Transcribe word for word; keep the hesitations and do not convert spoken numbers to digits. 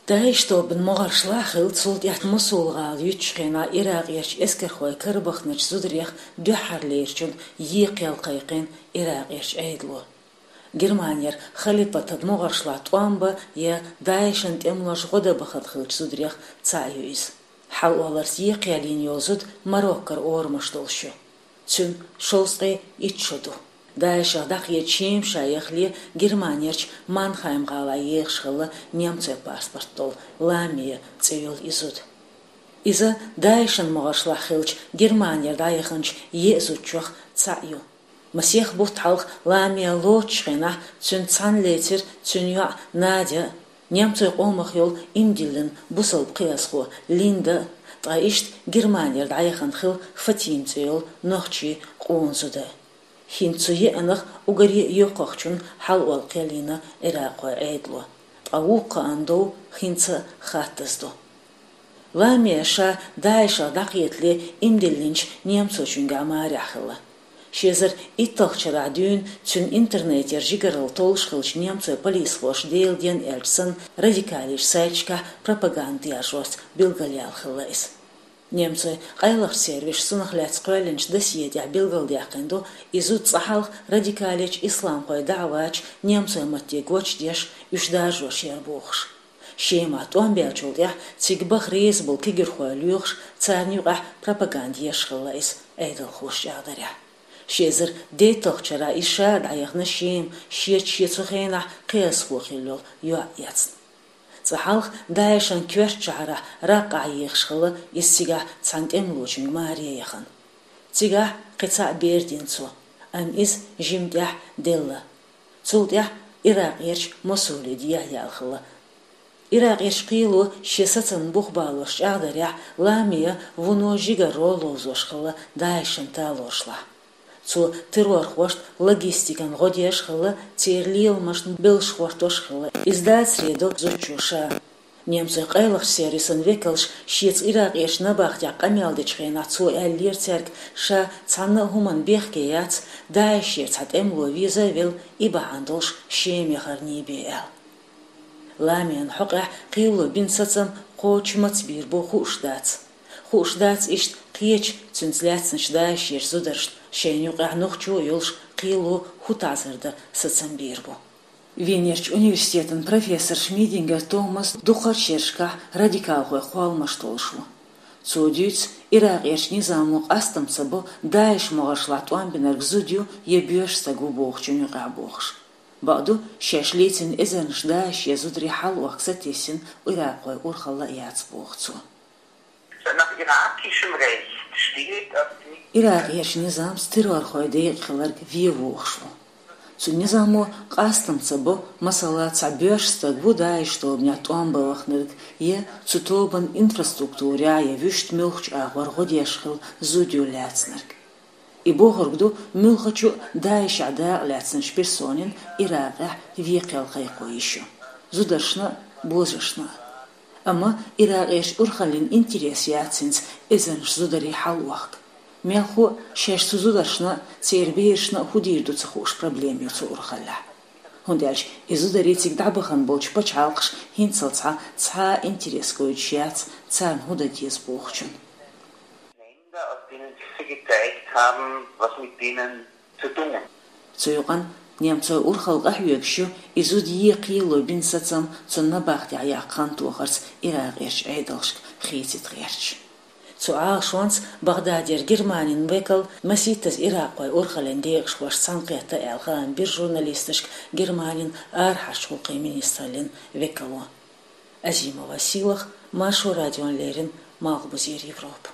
ДАИШ тобанан могӀаршла хилла, цул тӀаьхьа Мосул-гӀала юьтучу хенахь иракъерчу эскархойн карабахначу зударех дуьххьарлерачунна екха ял кхайкхийна иракъерчу Ӏедало. Германера халипатан могӀаршлахь тӀом бан я ДАИШ-ан тӀемалошна гӀо дан бахана хиллачу зударех цхьаъ ю иза. Хьалаолларца екха ял йина йолу зуда Мароккора орамаш долуш ю. Цуьнан шовзткъе итт шо ду. ДАИШ-ах дӀакхета Шема ша яхале Германерчу Манхайм-гӀалахь ехаш хилла немцойн паспорт долу Ламия цӀе йолу и зуда. Иза ДАИШ-ан могӀаршлахь хиллачу Германера дӀаяханчу еа зудчех цхьаъ ю. Масех бутт хьалха Ламия лоцучу хенахь цуьнца цхьаьна лецира цуьнан йоӀ Надя а, немцойн къомах йолу иман диллина бусалба кхиазхо Линда а, ткъа иштта Германера дӀаяхана хилла Фатима цӀе йолу нохчийн къона зуда а. ХӀинца цу еанах уггаре а йоккхахчунна хьалаолла кхел йина иракъхойн Ӏедало, ткъа вукху кхаанна дов хӀинца а хаттаза ду. Ламия ша ДАИШ-ах дӀакхетале иман диллинчу немцочуьнгахь марехь хилла. Ши эзар итталгӀачу шарахь дуьйна цуьнан интернетера жигаралла толлуш хиллачу немцойн полисхоша, Делан денна аьлча санна, радикалечу сайташкахь пропаганда яржорца билгалъяьлла хилла иза. Немцойн къайлахчу сервисо цунах лаьцна кхоьллинчу досье тӀехь билгалдаьккхина ду, и зуда цкъа хьалха радикалечу исламхойн даӀваташ немцойн матте гочдеш, уьш даржош яра бохуш. Шемахь тӀом баьллачул тӀаьхьа цига баха реза болу кегирхой лоьхуш, царна юкъахь пропаганда еш хилла иза, Ӏедалхоша чӀагӀдарехь. Ши эзар дейтталгӀачу шарахь иза ша дӀаяхана Шема, шеца шен цу хенахь кхиазхо хилла йолу йоӀ эцна. Цкъа хьалха ДАИШ-ан коьртачу шахьарахь Раккъахь ехаш хилла иза, цигахь цхьана тӀемалочуьнга маре яхана. Цигахь кхин цхьаъ бер дина цо, амма иза жимма тӀаьхьа делла. Цул тӀаьхьа Иракъерчу Мосуле дехьаяьлла хилла. Иракъерчу кхело шен сацамна бух балош чӀагӀдарехь, Ламия вуно жигарро ловзош хилла ДАИШ-ан талоршлахь. Цо террорхошна логистикан гӀо деш хилла, церан леламашна белш хӀоттош хилла. Иза дацаре до зудчо ша. Немцойн къайлахчу сервисан векалша шеца Иракъерчу набахтехь къамел дечу хенахь цо аьллера цаьрга, ша цхьанна а хӀуманна бехке яц, ДАИШ-ера цхьа тӀемало веза а велла, и бахьана долуш Шема яхарна бен аьлла. Ламиан хьокъехь кхело бина сацам кхочуш маца бийр бу хууш дац. Хууш дац иштта кхечу цуьнца лаьцначу ДАИШ-ерчу зударшна, шайна юкъахь нохчо а йолуш, кхело хӀун таӀзар дан сацам бийр бу. Венерчу университетан профессор Шмидингер Томас дукхахчу шерашкахь радикалхойн кхолламаш толлуш ву. Цо дуьйцу, Иракъерчу низамо къастам ца бо, ДАИШ могӀаршлахь тӀом бинарг зуда ю я боьрша стаг ву бохучун юкъахь бохуш. Бакъду, шаьш лецна эзарнаш ДАИШ-ера зударий хьалаохка сатесна Иракъхойн урхалла а яц, боху цо. Nach irakischem Recht steht, dass die Иракъерчу низамца террорхойн декъа хиларг вен вохуш ву. Цу низамо къастам ца бо, масала, цхьа боьрша стаг ву ДАИШ тобанехь тӀом бан вахнарг, я цу тобанан инфраструктурехь я вуьшта муьлххачу агӀор гӀо деш хилла зуда ю лаьцнарг. И бохург ду, муьлххачу а ДАИШ-ехь дакъа лаьцначу персонин Иракъехь вен кхел кхайкхо йиш ю. Зударшна а, божаршна а. Амма Иракъерчу урхаллин интерес яц хӀинца эзарнаш зударий хьалаохка. Мелхо а шаьш цу зударшна а, церан берашна а хӀун дийр ду ца хууш проблема ю цу урхаллехь. ХӀунда аьлча и зударий цига дӀабахана болчу пачхьалкхаша хӀинццалц цхьа а интерес гойтуш яц царна хӀун дан деза бохучун. Länder, aus denen sich sie gezeigt haben, was mit denen zu tun. Цу юкъана немцойн урхалла къахьоьгуш ю и зуда ен кхело бина сацам цунна набахтехь яккха хан тохарца Иракъерчу Ӏедалшка хецийта гӀерташ. Цу Ӏалашонца Багъдадера Германин векал масийттаза иракъхойн урхаллин декъашхошца цхьаьнакхетта аьлла хаам бира журналисташка Германин арахьарчу гӀуллакхийн министраллин векало. Азимова Сийлаха, Маршо радиона леррина, Малхбузера Европа.